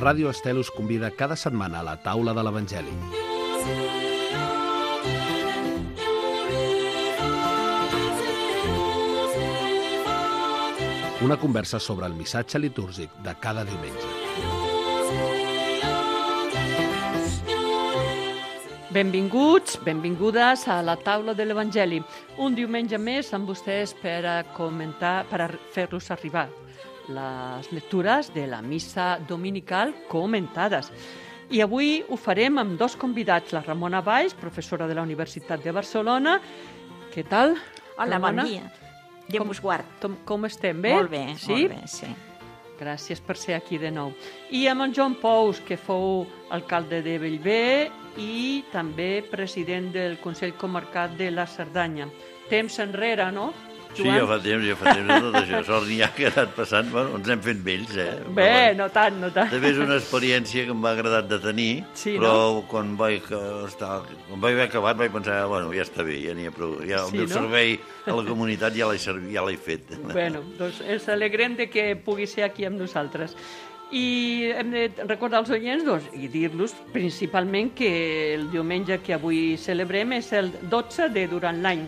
Ràdio Estel us convida cada setmana a la taula de l'Evangeli. Una conversa sobre el missatge litúrgic de cada diumenge. Benvinguts, benvingudes a la taula de l'Evangeli. Un diumenge més amb vostès per a comentar, per a fer-los arribar les lectures de la missa dominical comentades. I avui ho farem amb dos convidats, la Ramona Valls, professora de la Universitat de Barcelona. Què tal? Hola, Ramona? bon dia. Déu vos guard. Com estem? Bé? Molt bé, sí? molt bé, sí. Gràcies per ser aquí de nou. I amb en Joan Pous, que fou alcalde de Bellver i també president del Consell Comarcal de la Cerdanya. Temps enrere, no, Sí, Joan? ja fa temps de tot això. Sort n'hi ha que ha anat passant, bueno, ens hem fet vells, Bé, no tant, no tant. També és una experiència que em va agradat de tenir, Sí, però no? quan vaig haver acabat vaig pensar, bueno, ja està bé, ja n'hi ha prou. Ja, Sí, el meu no? servei a la comunitat ja l'he fet. Bueno, doncs ens alegrem de que pugui ser aquí amb nosaltres. I hem de recordar als oients i dir-los principalment que el diumenge que avui celebrem és el 12 de durant l'any.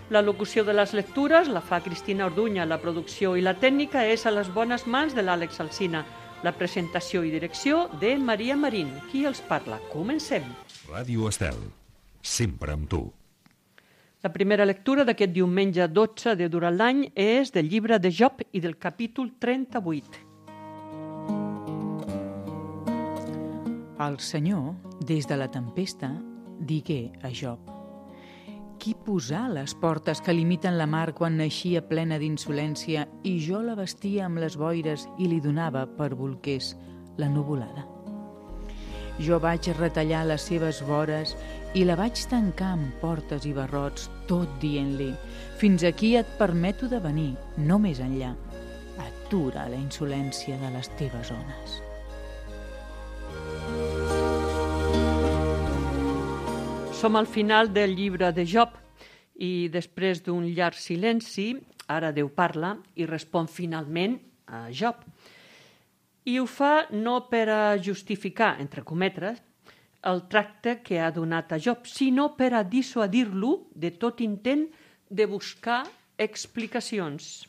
La locució de les lectures la fa Cristina Orduña, la producció i la tècnica és a les bones mans de l'Àlex Alsina, la presentació i direcció de Maria Marín. Qui els parla? Comencem. Ràdio Estel, sempre amb tu. La primera lectura d'aquest diumenge 12 de durant l'any és del llibre de Job i del capítol 38. El Senyor, des de la tempesta, digué a Job: qui posà les portes que limiten la mar quan naixia plena d'insolència i jo la vestia amb les boires i li donava per bolquers la nuvolada? Jo vaig retallar les seves vores i la vaig tancar amb portes i barrots, tot dient-li: fins aquí et permeto de venir, no més enllà. Atura la insolència de les teves ones. Som al final del llibre de Job i després d'un llarg silenci, ara Déu parla i respon finalment a Job. I ho fa no per a justificar, entre cometes, el tracte que ha donat a Job, sinó per a dissuadir-lo de tot intent de buscar explicacions.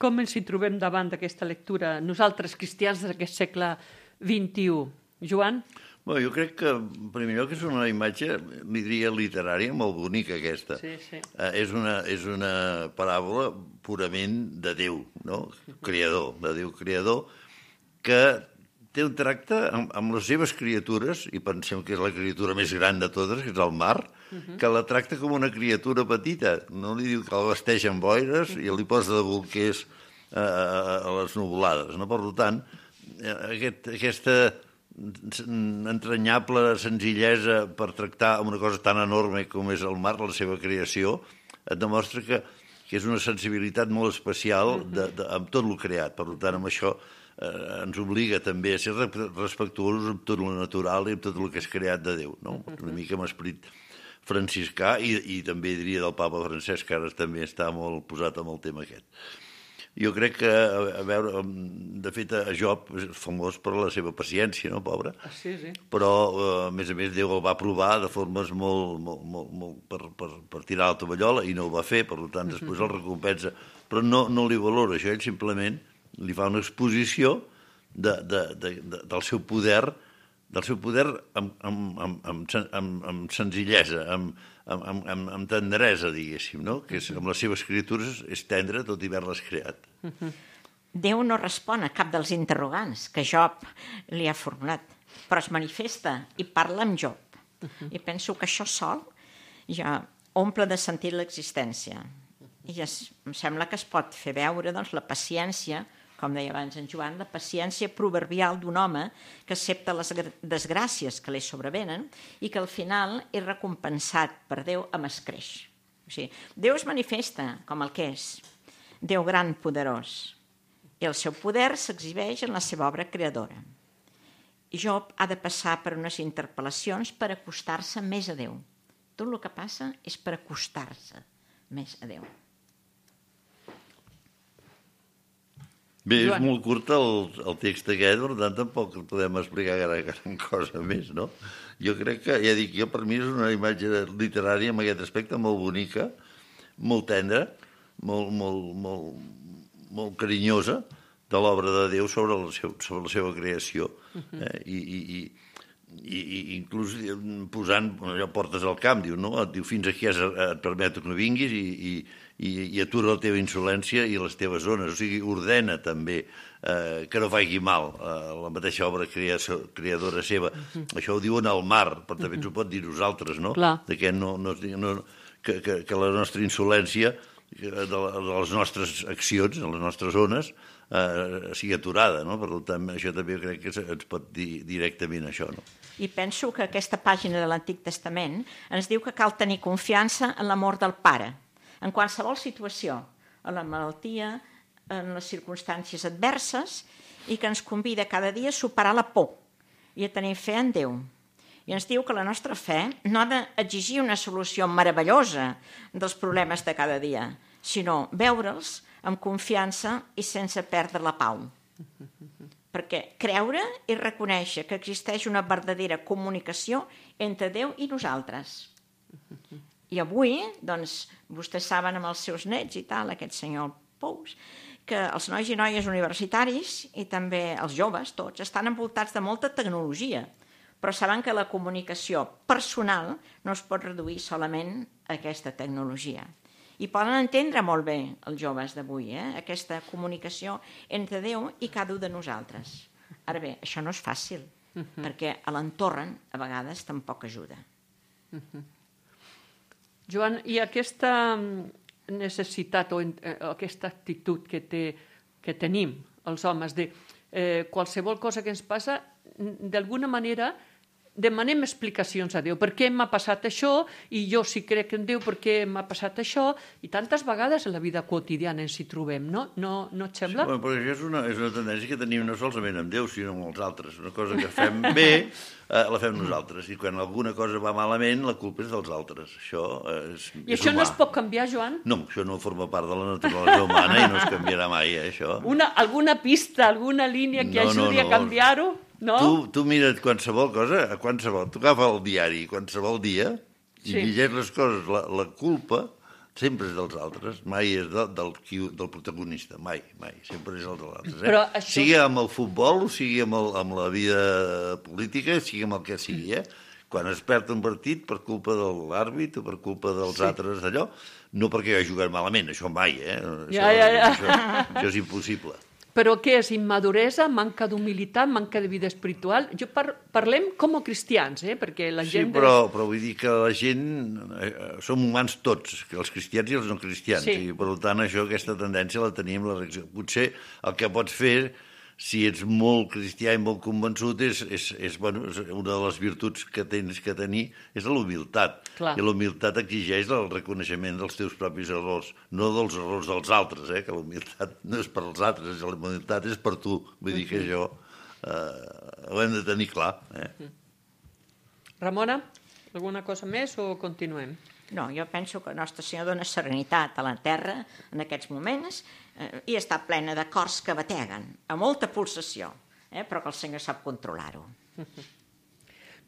Com ens hi trobem davant d'aquesta lectura, nosaltres cristians d'aquest segle XXI? Joan? Bueno, jo crec que, en primer lloc, és una imatge, li diria, literària, molt bonica, aquesta. Sí, sí. És una paràbola purament de Déu, no? Creador, de Déu creador, que té un tracte amb les seves criatures, i pensem que és la criatura més gran de totes, que és el mar, que la tracta com una criatura petita. No li diu que la vesteix amb boires i li posa de bolquers a les nuvolades. No? Per tant, aquesta entranyable senzillesa per tractar una cosa tan enorme com és el mar, la seva creació, et demostra que és una sensibilitat molt especial amb tot el creat. Per tant, amb això ens obliga també a ser respectuosos amb tot el natural i amb tot el que és creat de Déu. No? Una mica amb esperit franciscà i també diria del papa Francesc, que ara també està molt posat amb el tema aquest. Jo crec que, a veure, de fet, Job és famós per la seva paciència, no, pobre? Sí, sí. Però, a més, Déu el va provar de formes molt per tirar la tovallola i no ho va fer, per tant, després el recompensa. Però no li valora això, ell simplement li fa una exposició del seu poder amb senzillesa, amb tendresa, diguéssim, no? Que amb les seves criatures és tendre tot i haver-les creat. Déu no respon a cap dels interrogants que Job li ha formulat, però es manifesta i parla amb Job. I penso que això sol ja omple de sentit l'existència. I em sembla que es pot fer veure la paciència, com deia abans en Joan, la paciència proverbial d'un home que accepta les desgràcies que li sobrevenen i que al final és recompensat per Déu amb escreix. O sigui, Déu es manifesta com el que és, Déu gran, poderós, i el seu poder s'exhibeix en la seva obra creadora. I Job ha de passar per unes interpel·lacions per acostar-se més a Déu. Tot el que passa és per acostar-se més a Déu. Bé, és Joan. molt curt el text aquest, per tant tampoc podem explicar gran cosa més, no? Jo crec que, ja dic, per mi és una imatge literària en aquest aspecte molt bonica, molt tendra, molt carinyosa de l'obra de Déu sobre la seva creació. I inclús posant allò, portes al camp, diu, no? Et diu, fins aquí et permeto que no vinguis i atura la teva insolència i les teves zones. O sigui, ordena també que no faci mal la mateixa obra creadora seva. Això ho diuen al mar, però també ens ho pot dir nosaltres, no? Clar. De que que la nostra insolència de les nostres accions, de les nostres zones, sigui aturada, no? Per tant, això també crec que ens pot dir directament això, no? I penso que aquesta pàgina de l'Antic Testament ens diu que cal tenir confiança en l'amor del Pare, en qualsevol situació, en la malaltia, en les circumstàncies adverses, i que ens convida cada dia a superar la por i a tenir fe en Déu. I ens diu que la nostra fe no ha d'exigir una solució meravellosa dels problemes de cada dia, sinó veure'ls amb confiança i sense perdre la pau. Perquè creure i reconèixer que existeix una verdadera comunicació entre Déu i nosaltres. I avui, doncs, vostès saben amb els seus nets i tal, aquest senyor Pous, que els nois i noies universitaris i també els joves, tots, estan envoltats de molta tecnologia, però saben que la comunicació personal no es pot reduir solament a aquesta tecnologia. I poden entendre molt bé els joves d'avui, aquesta comunicació entre Déu i cada un de nosaltres. Ara bé, això no és fàcil, perquè a l'entorn a vegades tampoc ajuda. Joan, i aquesta necessitat o aquesta actitud que tenim els homes de qualsevol cosa que ens passa, d'alguna manera demanem explicacions a Déu. Per què m'ha passat això? I jo sí crec en Déu, per què m'ha passat això? I tantes vegades en la vida quotidiana ens hi trobem, no? No et sembla? Sí, però això és una tendència que tenim no solament amb Déu, sinó amb els altres. Una cosa que fem bé, la fem nosaltres. I quan alguna cosa va malament, la culpa és dels altres. Això és I això humà. no es pot canviar, Joan? No, això no forma part de la naturalesa humana i no es canviarà mai, això. Alguna pista, alguna línia que ajudi a canviar-ho? No? Tu mira't qualsevol cosa, tu agafa el diari qualsevol dia i llegeix les coses. La culpa sempre és dels altres, mai és del protagonista, mai, sempre és dels altres. Però això... Sigui amb el futbol, sigui amb la vida política, sigui amb el que sigui, Quan es perd un partit per culpa de l'àrbit o per culpa dels altres d'allò, no perquè ha jugat malament, això mai, Això és impossible. Però què és? Immaduresa, manca d'humilitat, manca de vida espiritual? Parlem com a cristians, perquè la gent... Sí, però vull dir que la gent... som humans tots, els cristians i els no cristians, i per tant aquesta tendència la tenim, la reacció. Potser el que pots fer, si ets molt cristià i molt convençut, és una de les virtuts que tens que tenir, és la humilitat. Clar. I la humilitat exigeix el reconeixement dels teus propis errors, no dels errors dels altres, que la humilitat no és per als altres, la humilitat és per tu. Vull dir que això ho hem de tenir clar. Ramona, alguna cosa més o continuem? No, jo penso que Nostre Senyor dona serenitat a la terra en aquests moments i està plena de cors que bateguen, a molta pulsació, però que el Senyor sap controlar-ho.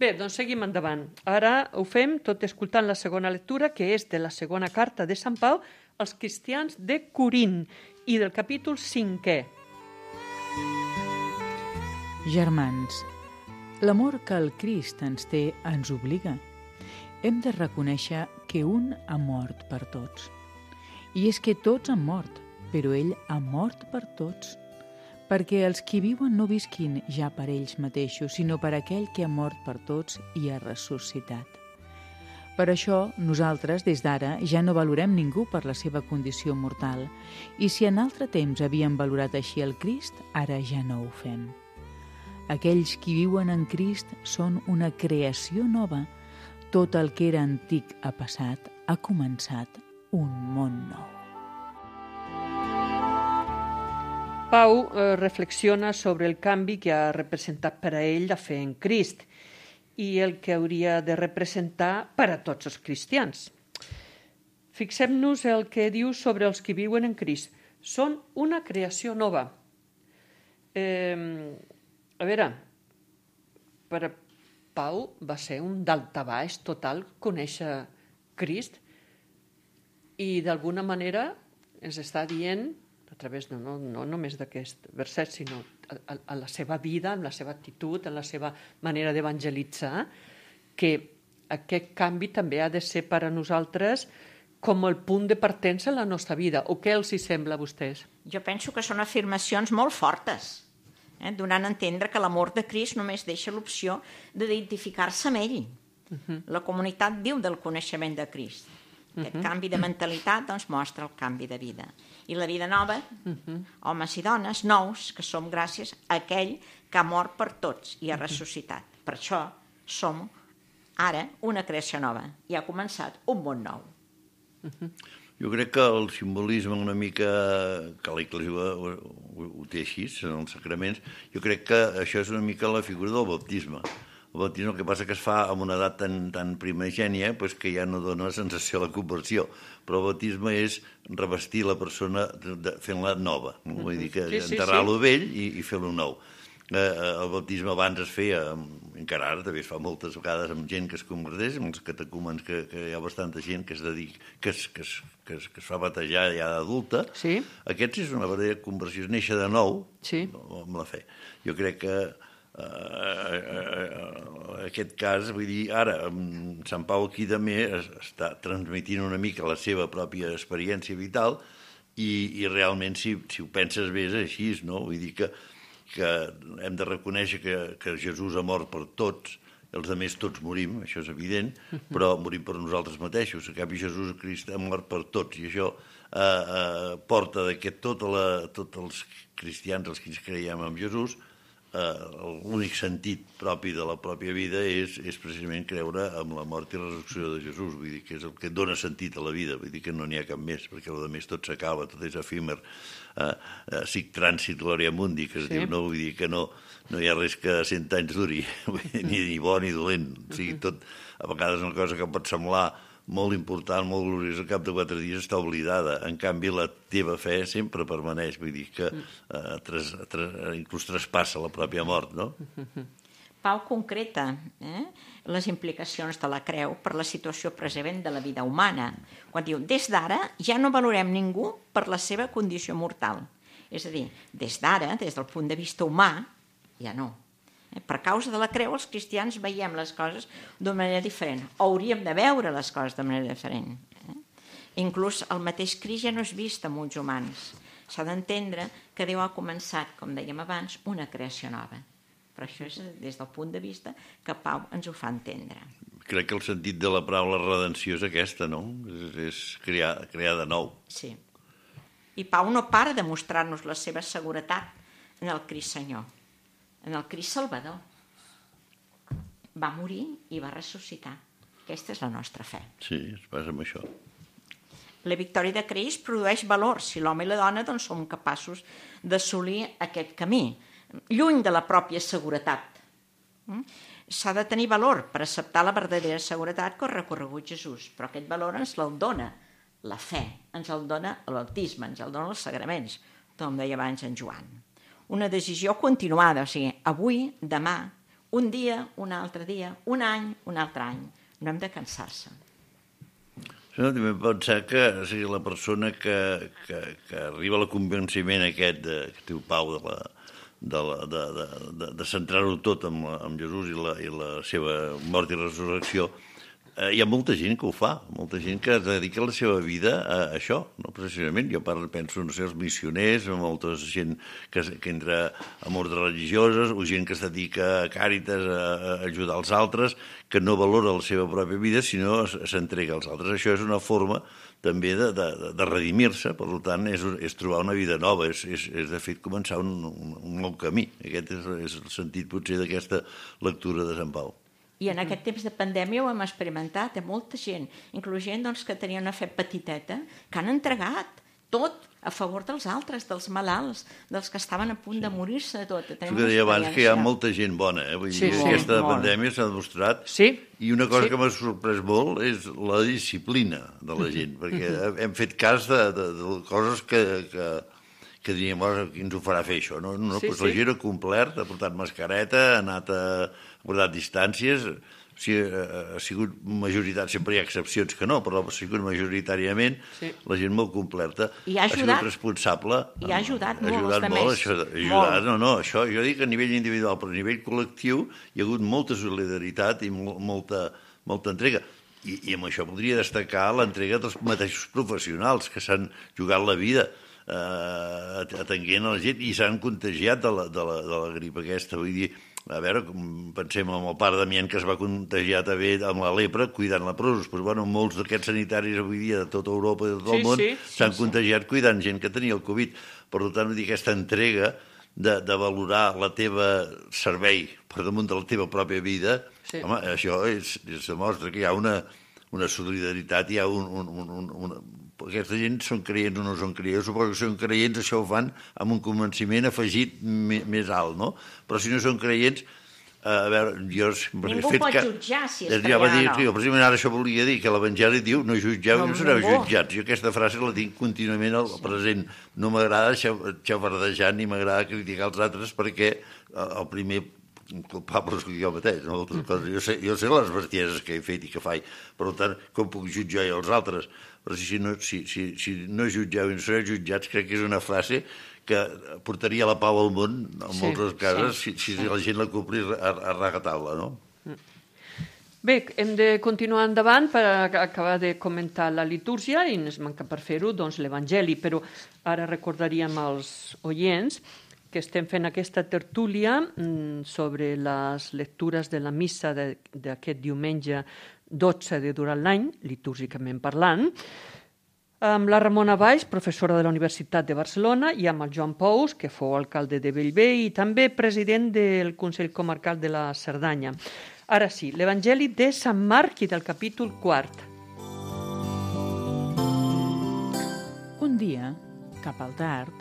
Bé, doncs seguim endavant. Ara ho fem tot escoltant la segona lectura, que és de la segona carta de Sant Pau als cristians de Corint i del capítol 5è. Germans, l'amor que el Crist ens té ens obliga. Hem de reconèixer que un ha mort per tots. I és que tots han mort, però ell ha mort per tots, perquè els qui viuen no visquin ja per ells mateixos, sinó per aquell que ha mort per tots i ha ressuscitat. Per això, nosaltres, des d'ara, ja no valorem ningú per la seva condició mortal, i si en altre temps havíem valorat així el Crist, ara ja no ho fem. Aquells qui viuen en Crist són una creació nova. Tot el que era antic ha passat, ha començat un món nou. Pau reflexiona sobre el canvi que ha representat per a ell la fe en Crist i el que hauria de representar per a tots els cristians. Fixem-nos el que diu sobre els que viuen en Crist. Són una creació nova. A veure, per a Pau va ser un daltabaix total conèixer Crist i d'alguna manera ens està dient, a través no només d'aquest verset, sinó a la seva vida, en la seva actitud, en la seva manera d'evangelitzar, que aquest canvi també ha de ser per a nosaltres com el punt de partença en la nostra vida. O què els hi sembla a vostès? Jo penso que són afirmacions molt fortes, donant a entendre que l'amor de Crist només deixa l'opció d'identificar-se amb ell. La comunitat viu del coneixement de Crist. Aquest canvi de mentalitat doncs, mostra el canvi de vida. I la vida nova, homes i dones nous, que som gràcies a aquell que ha mort per tots i ha ressuscitat. Per això som ara una creació nova i ha començat un món nou. Jo crec que el simbolisme una mica que l'Església ho té així, en els sacraments, jo crec que això és una mica la figura del baptisme. El baptisme el que passa que es fa amb una edat tan primigènia que ja no dona sensació de la conversió, però el baptisme és revestir la persona fent-la nova, vull dir que enterrar-lo vell i fer-lo nou. El baptisme abans es feia, encara ara també es fa moltes vegades amb gent que es converteix, amb els catecúmens que hi ha bastanta gent que es fa batejar ja d'adulta. Sí. Aquest és una verdadera conversió, és néixer de nou amb la fe. Jo crec que aquest cas, vull dir, ara Sant Pau aquí també està transmitint una mica la seva pròpia experiència vital i realment si ho penses bé és així, no? Vull dir que hem de reconèixer que Jesús ha mort per tots, els altres tots morim, això és evident, però morim per nosaltres mateixos. En canvi, Jesús Crist ha mort per tots, i això porta que tots els cristians, els que ens creiem en Jesús, l'únic sentit propi de la pròpia vida és precisament creure en la mort i la resurrecció de Jesús, vull dir que és el que dona sentit a la vida, vull dir que no n'hi ha cap més, perquè el més tot s'acaba, tot és efímer, sic transit gloria mundi, que es diu, no? Vull dir que no hi ha res que 100 anys duri, ni bo ni dolent, o sigui, tot, a vegades una cosa que pot semblar molt important, molt gloriosa, al cap de 4 dies està oblidada. En canvi, la teva fe sempre permaneix, vull dir que inclús traspassa la pròpia mort, no? Pau concreta les implicacions de la creu per la situació present de la vida humana, quan diu, des d'ara ja no valorem ningú per la seva condició mortal. És a dir, des d'ara, des del punt de vista humà, ja no. Per causa de la creu, els cristians veiem les coses d'una manera diferent. Hauríem de veure les coses de manera diferent. Inclús el mateix Crist ja no és vist amb ulls humans. S'ha d'entendre que Déu ha començat, com dèiem abans, una creació nova. Però això és des del punt de vista que Pau ens ho fa entendre. Crec que el sentit de la paraula redenció és aquesta, no? És crear de nou. Sí. I Pau no para de mostrar-nos la seva seguretat en el Crist Senyor, en el Crist Salvador. Va morir i va ressuscitar. Aquesta és la nostra fe. Sí, es basa en això. La victòria de Crist produeix valor si l'home i la dona doncs, som capaços d'assolir aquest camí, lluny de la pròpia seguretat. S'ha de tenir valor per acceptar la verdadera seguretat que ha recorregut Jesús, però aquest valor ens el dona la fe, ens el dona el baptisme, ens el dona els sagraments, com deia abans en Joan. Una decisió continuada, o sigui, avui, demà, un dia, un altre dia, un any, un altre any. No hem de cansar-se. No, també pensar que la persona que arriba al convenciment aquest que diu Pau de centrar-ho tot en Jesús i la seva mort i resurrecció, hi ha molta gent que ho fa, molta gent que dedica la seva vida a això, no precisament. Jo penso, no sé, els missioners, molta gent que entra en ordres religioses, o gent que es dedica a Càritas, a ajudar els altres, que no valora la seva pròpia vida, sinó s'entrega als altres. Això és una forma també de redimir-se, per tant, és trobar una vida nova, és de fet començar un nou camí. Aquest és el sentit potser d'aquesta lectura de Sant Pau. I en aquest temps de pandèmia ho hem experimentat, molta gent, inclús gent que tenia una fe petiteta, que han entregat tot a favor dels altres, dels malalts, dels que estaven a punt de morir-se de tot. Això que deia abans, que hi ha molta gent bona. Vull dir, aquesta pandèmia s'ha demostrat. I una cosa que m'ha sorprès molt és la disciplina de la gent, perquè hem fet cas de coses que que diríem, qui ens ho farà fer això? No, Sí, doncs la gent ha complert, ha portat mascareta, ha guardat distàncies, ha sigut majoritat, sempre hi ha excepcions que no, però ha sigut majoritàriament la gent molt complerta. I ha ajudat. Ha sigut responsable. I ha ajudat molt, ha ajudat molt, això, això jo dic a nivell individual, però a nivell col·lectiu hi ha hagut molta solidaritat i molta entrega. I amb això podria destacar l'entrega dels mateixos professionals que s'han jugat la vida atenguent a la gent i s'han contagiat de la grip aquesta. Vull dir, a veure, pensem en el pare Damián que es va contagiar també amb la lepra cuidant leprosos. Però, bueno, molts d'aquests sanitaris avui dia de tota Europa i de tot el món s'han contagiat cuidant gent que tenia el Covid. Per tant, vull dir, aquesta entrega de valorar la teva servei per damunt de la teva pròpia vida, home, això demostra que hi ha una solidaritat, hi ha aquesta gent són creients o no són creients, suposo que són creients, això ho fan amb un convenciment afegit més alt, no? Però si no són creients, a veure, jo... Ningú pot jutjar si és creient o no. Precisament ara això volia dir, que l'Evangeli diu no jutgeu i no sereu jutjats. Jo aquesta frase la tinc contínuament al present. No m'agrada xafardejar ni m'agrada criticar els altres perquè el primer culpable és jo mateix. No? Jo sé les bestieses que he fet i que faig, per tant, com puc jutjar jo els altres? Però si no jutgeu i no sereu jutjats, crec que és una frase que portaria la pau al món, en moltes cases, si la gent la complís a rajatabla, no? Bé, hem de continuar endavant per acabar de comentar la litúrgia i ens manca per fer-ho doncs, l'Evangeli, però ara recordaríem als oients que estem fent aquesta tertúlia sobre les lectures de la missa d'aquest diumenge 12 de durant l'any, litúrgicament parlant, amb la Ramona Valls, professora de la Universitat de Barcelona, i amb el Joan Pous, que fou alcalde de Bellvei i també president del Consell Comarcal de la Cerdanya. Ara sí, l'Evangeli de Sant Marc i del capítol 4. Un dia, cap al tard,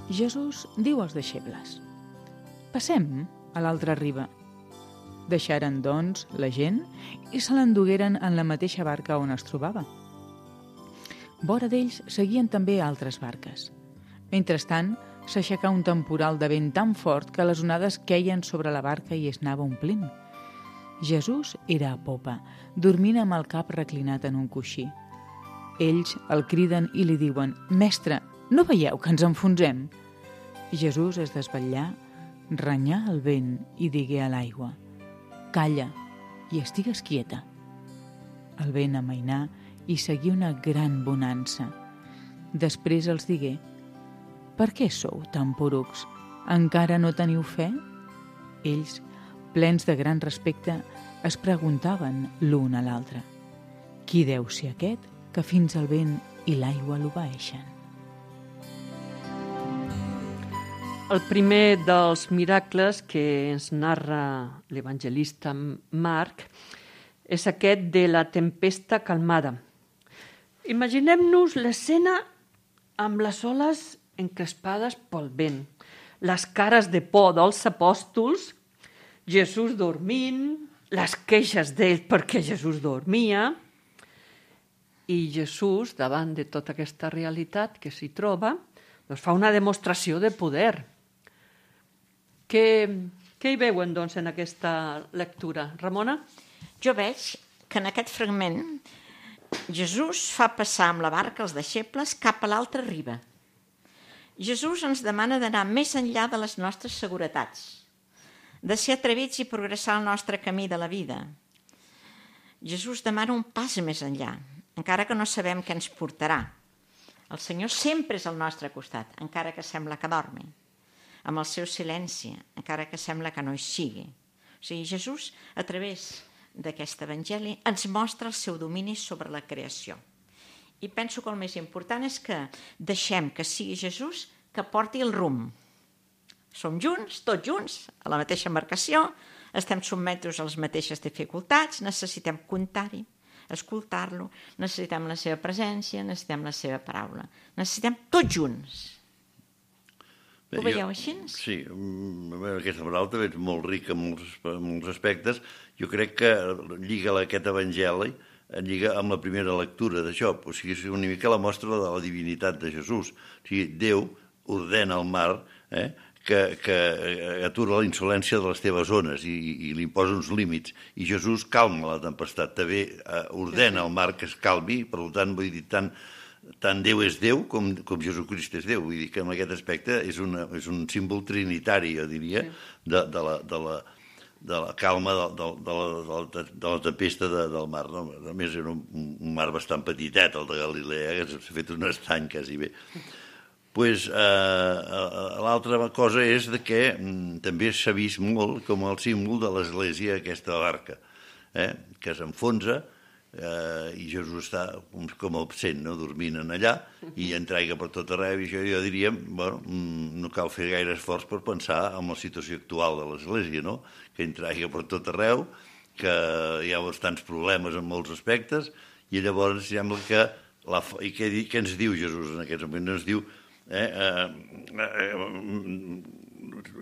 Jesús diu als deixebles: «Passem a l'altra riba». Deixaren, doncs, la gent i se l'endugueren en la mateixa barca on es trobava. Vora d'ells seguien també altres barques. Mentrestant, s'aixecà un temporal de vent tan fort que les onades queien sobre la barca i es anava omplint. Jesús era a popa, dormint amb el cap reclinat en un coixí. Ells el criden i li diuen: «Mestre, no veieu que ens enfonsem?» Jesús es desvetllà, renyà el vent i digué a l'aigua: «Calla i estigues quieta». El vent amainà i seguí una gran bonança. Després els digué: «Per què sou tan porucs? Encara no teniu fe?» Ells, plens de gran respecte, es preguntaven l'un a l'altre: «Qui deu ser aquest que fins al vent i l'aigua l'obeeixen?» El primer dels miracles que ens narra l'evangelista Marc és aquest de la tempesta calmada. Imaginem-nos l'escena amb les oles encrespades pel vent, les cares de por dels apòstols, Jesús dormint, les queixes d'ells perquè Jesús dormia, i Jesús, davant de tota aquesta realitat que s'hi troba, doncs fa una demostració de poder. Què hi veuen, doncs, en aquesta lectura? Ramona? Jo veig que en aquest fragment Jesús fa passar amb la barca els deixebles cap a l'altra riba. Jesús ens demana d'anar més enllà de les nostres seguretats, de ser atrevits i progressar el nostre camí de la vida. Jesús demana un pas més enllà, encara que no sabem què ens portarà. El Senyor sempre és al nostre costat, encara que sembla que dormi, amb el seu silenci, encara que sembla que no hi sigui. O sigui, Jesús, a través d'aquest evangeli, ens mostra el seu domini sobre la creació. I penso que el més important és que deixem que sigui Jesús que porti el rumb. Som junts, tots junts, a la mateixa embarcació, estem sotmesos a les mateixes dificultats, necessitem comptar-hi, escoltar-lo, necessitem la seva presència, necessitem la seva paraula. Necessitem tots junts. Ho veieu així? Sí, aquesta paraula també és molt rica en molts aspectes. Jo crec que lliga aquest evangeli lliga amb la primera lectura d'això. O sigui, és una mica la mostra de la divinitat de Jesús. O sigui, Déu ordena al mar que atura la insolència de les teves ones i li imposa uns límits. I Jesús calma la tempestat, també ordena al mar que es calmi, per tant, vull dir, tant Déu és Déu com Jesucrist és Déu. Vull dir que en aquest aspecte és un símbol trinitari, jo diria, de la calma de la tempesta del mar. No? A més, era un mar bastant petitet, el de Galilea, que s'ha fet un estany quasi bé. L'altra cosa és que també s'ha vist molt com el símbol de l'església aquesta barca, que s'enfonsa i Jesús està com absent, dormint en allà, i entrega per tot arreu, i jo diria, no cal fer gaire esforç per pensar en la situació actual de l'església, que entrega per tot arreu, que hi ha bastants problemes en molts aspectes, i llavors sembla que... I què ens diu Jesús en aquests moments? Ens diu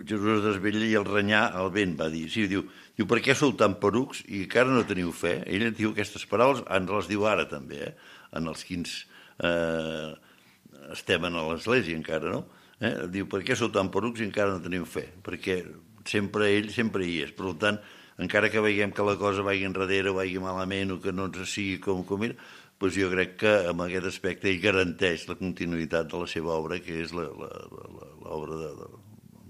Jesús es desvetlla i el renyar el vent, va dir. Sí, diu, per què sou tan porucs i encara no teniu fe? Ell diu aquestes paraules, ens les diu ara també, en els quins estem a l'església encara, no? Diu, per què sou tan porucs i encara no teniu fe? Perquè ell sempre hi és. Per tant, encara que veiem que la cosa vagi enrere o vagi malament o que no ens sigui com era, doncs jo crec que en aquest aspecte ell garanteix la continuïtat de la seva obra, que és l'obra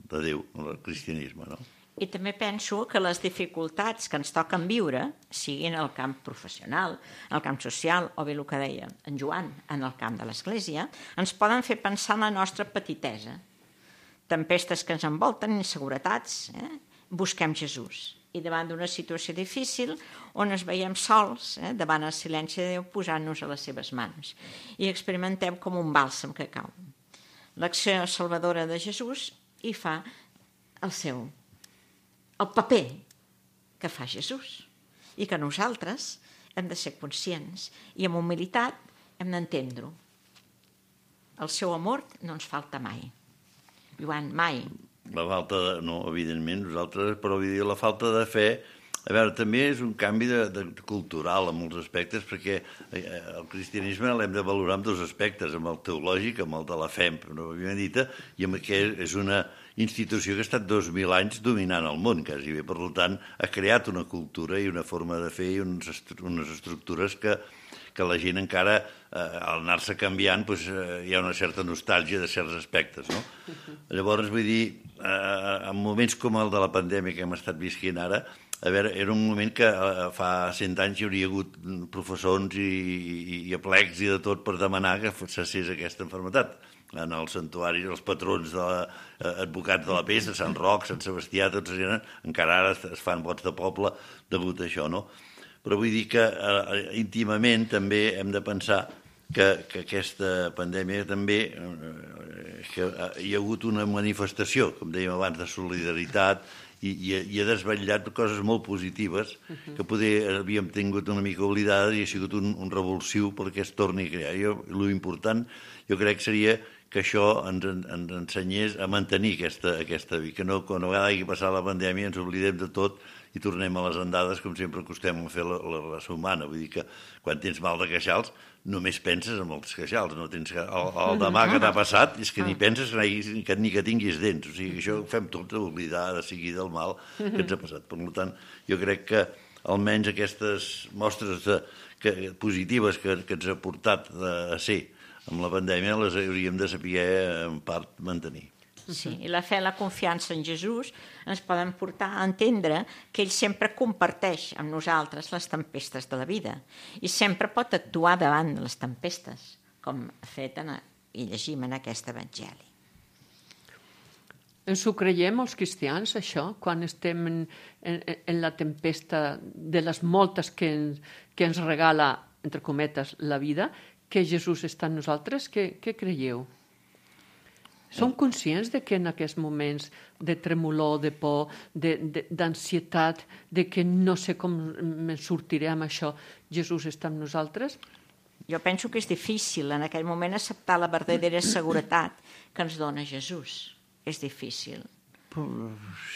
de Déu, el cristianisme, no? I també penso que les dificultats que ens toquen viure, siguin al camp professional, al camp social, o bé el que deia en Joan, en el camp de l'Església, ens poden fer pensar en la nostra petitesa. Tempestes que ens envolten, inseguretats, busquem Jesús. I davant d'una situació difícil, on ens veiem sols, davant el silenci de Déu, posant-nos a les seves mans. I experimentem com un bàlsam que cau. L'acció salvadora de Jesús hi fa el paper que fa Jesús. I que nosaltres hem de ser conscients i amb humilitat hem d'entendre-ho. El seu amor no ens falta mai. Joan, mai. La falta no, evidentment, nosaltres, però vull dir, la falta de fe, a veure, també és un canvi cultural en molts aspectes, perquè el cristianisme l'hem de valorar en dos aspectes, amb el teològic, amb el de la fe, pròpiament dita, i amb que és una institució que ha estat 2.000 anys dominant el món, quasi bé. Per tant, ha creat una cultura i una forma de fer i unes estructures que la gent encara, al anar-se canviant, hi ha una certa nostàlgia de certs aspectes, no? Llavors, vull dir, en moments com el de la pandèmia que hem estat visquent ara, a veure, era un moment que fa 100 anys hi hauria hagut professors i aplecs i de tot per demanar que cessés aquesta malaltia. En els santuaris, els patrons advocats de la pesta, Sant Roc, Sant Sebastià, tots encara ara es fan vots de poble degut a això, no? Però vull dir que íntimament també hem de pensar que aquesta pandèmia també que hi ha hagut una manifestació, com dèiem abans, de solidaritat i ha desvetllat coses molt positives que poder havíem tingut una mica oblidades i ha sigut un revulsiu perquè es torni a crear. L'important jo crec seria que això ens ensenyés a mantenir aquesta vida, que no, quan a vegada hagi passat la pandèmia ens oblidem de tot i tornem a les andades com sempre acostem a fer la raça humana. Vull dir que quan tens mal de queixals només penses en els queixals, no tens el demà que t'ha passat és que ni penses ni que tinguis dents. O sigui, això ho fem tot a oblidar de seguida el mal que ens ha passat. Per tant, jo crec que almenys aquestes mostres positives que ens ha portat a ser amb la pandèmia les hauríem de saber en part mantenir. Sí, i la fe i la confiança en Jesús ens poden portar a entendre que ell sempre comparteix amb nosaltres les tempestes de la vida i sempre pot actuar davant de les tempestes, com ha fet i llegim en aquest evangeli. Ens ho creiem els cristians, això, quan estem en la tempesta de les moltes que ens regala, entre cometes, la vida, que Jesús està en nosaltres? Què creieu? Som conscients de que en aquests moments de tremolor, de por, d'ansietat, de que no sé com me'n sortiré amb això, Jesús està amb nosaltres? Jo penso que és difícil en aquell moment acceptar la verdadera seguretat que ens dona Jesús. És difícil.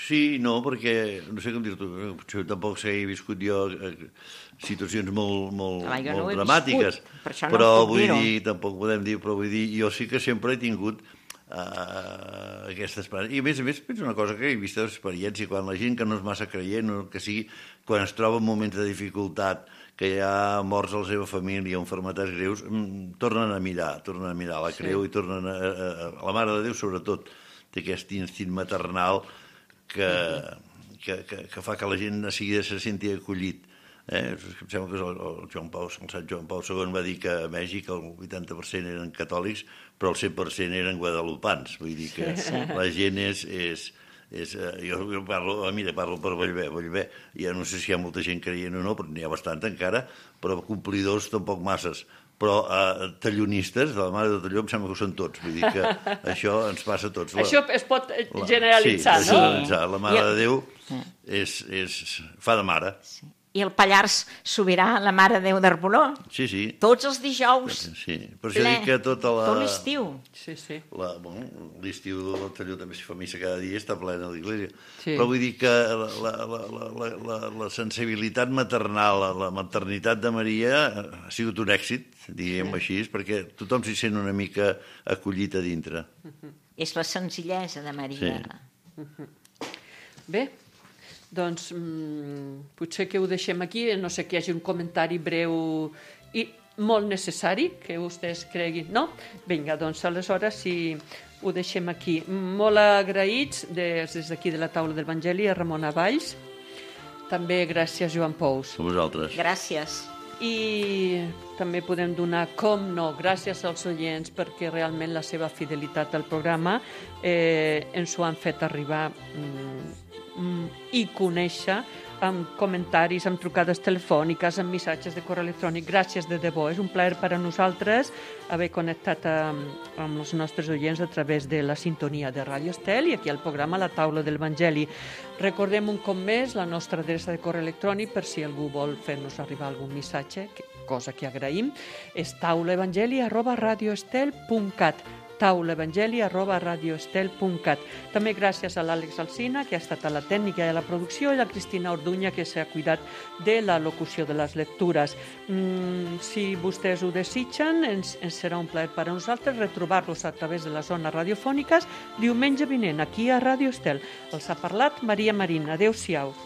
Sí, no, perquè no sé com dir-t'ho, tampoc he viscut jo situacions molt dramàtiques, però vull dir, tampoc podem dir, però vull dir, jo sí que sempre he tingut aquesta esperança. I a més penso una cosa que he vist d'experiència, quan la gent que no és massa creient, que sigui, quan es troba en moments de dificultat, que hi ha morts a la seva família, malalties greus, tornen a mirar la creu i tornen la Mare de Déu, sobretot, té aquest instint maternal que fa que la gent de seguida se senti acollit. Em sembla que el Sant Joan Pau II va dir que a Mèxic el 80% eren catòlics, però el 100% eren guadalupans. Vull dir que la gent jo parlo per Bellver. Ja no sé si hi ha molta gent creient o no, però n'hi ha bastant encara, però complidors tampoc masses. Però tallonistes, de la Mare de Talló, em sembla que ho són tots. Vull dir que això ens passa a tots. Això es pot generalitzar, no? Sí, generalitzar. La Mare de Déu fa de mare. I el Pallars Sobirà, la Mare de Déu d'Arboló. Sí. Tots els dijous. Sí, per això dic que tot l'estiu. Sí. L'estiu del Talló també s'hi fa missa cada dia, està plena l'església. Sí. Però vull dir que la sensibilitat maternal, la maternitat de Maria ha sigut un èxit, diguem així, perquè tothom s'hi sent una mica acollit a dintre. És la senzillesa de Maria. Bé, doncs potser que ho deixem aquí, no sé que hi hagi un comentari breu i molt necessari, que vostès creguin, no? Vinga, doncs aleshores si ho deixem aquí. Molt agraïts des d'aquí de la taula de l'Evangeli a Ramona Valls, també gràcies Joan Pous. A vosaltres. Gràcies. I també podem donar, com no, gràcies als oients, perquè realment la seva fidelitat al programa ens ho han fet arribar i conèixer amb comentaris, amb trucades telefòniques, amb missatges de correu electrònic. Gràcies de debò, és un plaer per a nosaltres haver connectat amb els nostres oients a través de la sintonia de Ràdio Estel i aquí al programa La Taula de l'Evangeli. Recordem un cop més la nostra adreça de correu electrònic per si algú vol fer-nos arribar algun missatge, cosa que agraïm, és taulaevangeli@radioestel.cat taulaevangeli@radioestel.cat. També gràcies a l'Àlex Alsina, que ha estat a la tècnica i a la producció, i la Cristina Orduña, que s'ha cuidat de la locució de les lectures. Si vostès ho desitgen, ens serà un plaer per a nosaltres retrobar-los a través de les zones radiofòniques diumenge vinent, aquí a Ràdio Estel. Els ha parlat Maria Marín. Adéu-siau.